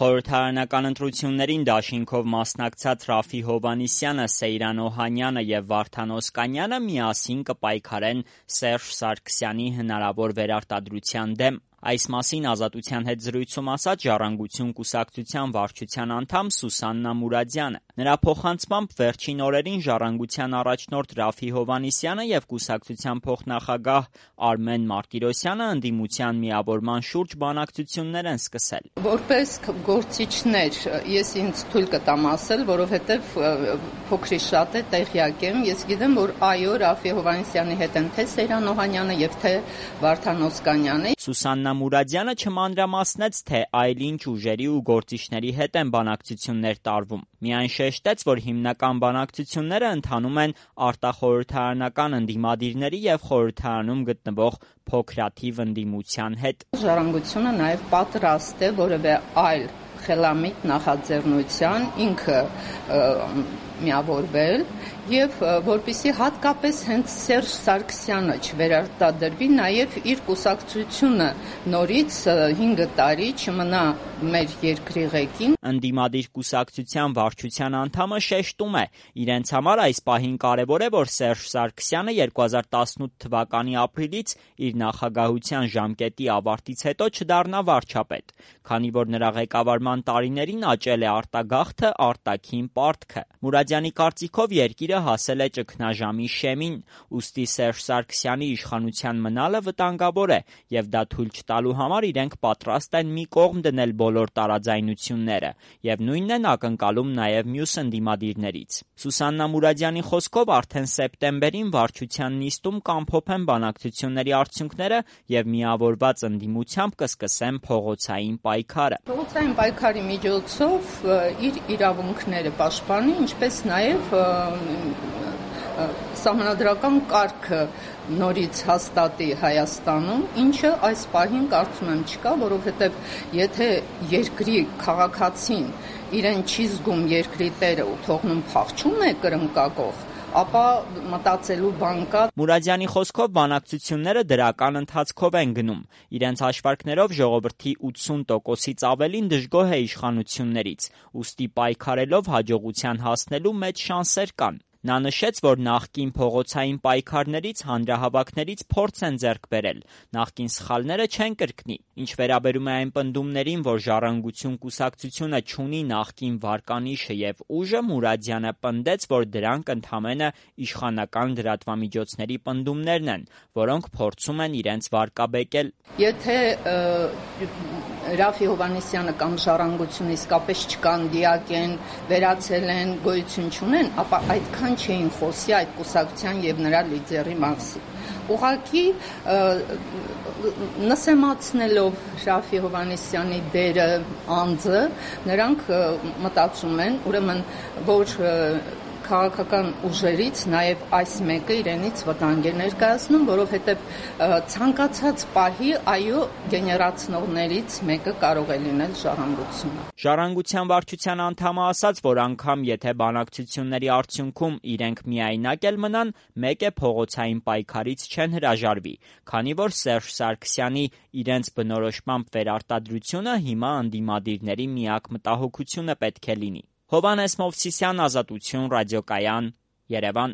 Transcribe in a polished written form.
Խորհրդարանական ընտրություններին դաշինքով մասնակցած Ռաֆի Հովհաննիսյանը, Սեյրան Օհանյանը և Վարդան Օսկանյանը միասին կպայքարեն Սերժ Սարգսյանի հնարավոր վերարտադրության դեմ։ Այս մասին Ազատության հետ զրույցում ասաց Ժառանգություն կուսակցության վարչության անդամ Սուսաննա Մուրադյանը։ Նրա փոխանցմամբ վերջին օրերին Ժառանգության առաջնորդ Ռաֆի Հովհաննիսյանը և կուսակցության փոխնախագահ Արմեն Մարտիրոսյանը ընդդիմության միավորման շուրջ բանակցություններ են սկսել։ Որպես գործիչներ ես ինձ թույլ կտամ ասել, որովհետև փոքրի շատ է տեղյակ եմ, ես գիտեմ, որ այո, Ռաֆի Հովհաննիսյանի հետ են թե Սեյրան Օհանյանը և թե Վարդան Օսկանյանը։ Սուսաննա Մուրադյանը չմանրամասնեց, թե այլ ինչ ուժերի ու գործիչների հետ են բանակցություններ տարվում։ Միայն շեշտեց, որ հիմնական բանակցությունները ընթանում են արտախորհրդարանական ընդդիմադիրների և խորհրդարանում գտնվող փոքրաթիվ ընդդիմության հետ։ Ժառանգությունը նաև պատրաստ է որևէ այլ խելամիտ նախաձեռնության ինքը միավորվել և որպեսզի հատկապես հենց Սերժ Սարգսյանը չվերարտադրվի, նաև իր կուսակցությունը նորից 5 տարի չմնա մեր երկրի ղեկին։ Ընդդիմադիր կուսակցության վարչության անդամը շեշտում է, իրենց համար այս պահին կարևոր է, որ Սերժ Սարգսյանը 2018 թվականի ապրիլից իր նախագահության ժամկետի ավարտից հետո չդառնա վարչապետ, քանի որ նրա ղեկավարման տարիներին աճել է արտագաղթը, արտաքին պարտքը։ Մուրադյանի կարծիքով երկիրը հասել է ճգնաժամի շեմին, ուստի Սերժ Սարգսյանի իշխանության մնալը վտանգավոր է, և դա թույլ չտալու համար իրենք պատրաստ են մի կողմ դնել բոլոր տարաձայնությունները, և նույնն են ակնկալում նաև մյուս ընդդիմադիրներից։ Սուսաննա Մուրադյանի խոսքով արդեն սեպտեմբերին վարչության նիստում կամփոփեն բանակցությունների արդյունքները և միավորված ընդդիմությամբ կսկսեն փողոցային պայքարը։ Փողոցային պայքարի միջոցով իր իրավունքները պաշտպանի, ինչպես նաև սահմանադրական կարգը նորից հաստատի Հայաստանում, ինչը այս պահին կարծում եմ չկա, որովհետև եթե երկրի քաղաքացին իրեն չի զգում երկրի տերը ու թողնում փախչում է կրնկակող, ապա մտածելու բան կա։ Մուրադյանի խոսքով բանակցությունները դրական ընթացքով են գնում։ Իրենց հաշվարկներով ժողովրդի 80%-ից ավելին դժգոհ է իշխանություններից, ուստի պայքարելով հաջողության հասնելու մեծ շանսեր կան։ Նա նշեց, որ նախկին փողոցային պայքարներից, հանրահավաքներից փորձ են ձեռք բերել, նախկին սխալները չեն կրկնի։ Ինչ վերաբերում է այն պնդումներին, որ Ժառանգություն կուսակցությունը չունի նախկին վարկանիշը և ուժը, Մուրադյանը պնդեց, որ դրանք ընդամենը իշխանական լրատվամիջոցների պնդումներն են, որոնք փորձում են իրենց վարկաբեկել։ Եթե Ռաֆի Հովհաննիսյանը կամ Ժառանգությունը իսկապես չկան, դիակ են, վերացել են, գոյություն չունեն, ապա այդքան չէին խոսի այդ կուսակցության և նրա լիդերի մասին։ Ուղղակի նսեմացնելով Ռաֆի Հովհաննիսյանի դերը, անձը, նրանք մտածում են, ուրեմն, որ քաղաքական ուժերից նաև այս մեկը իրենից վտանգ է ներկայացնում, որովհետև ցանկացած պահի այո գեներացնողներից մեկը կարող է լինել Ժառանգությունը։ Ժառանգության վարչության անդամը ասաց, որ անգամ եթե բանակցությունների արդյունքում իրենք միայնակ էլ մնան, մեկ է փողոցային պայքարից չեն հրաժարվի, քանի որ Սերժ Սարգսյանի իրենց բնորոշմամբ վերարտադրությունը հիմա ընդդիմադիրների միակ մտահոգությունը պետք է լինի։ Հովհաննես Մովսիսյան, Ազատություն, Ռադիոկայան, Երևան։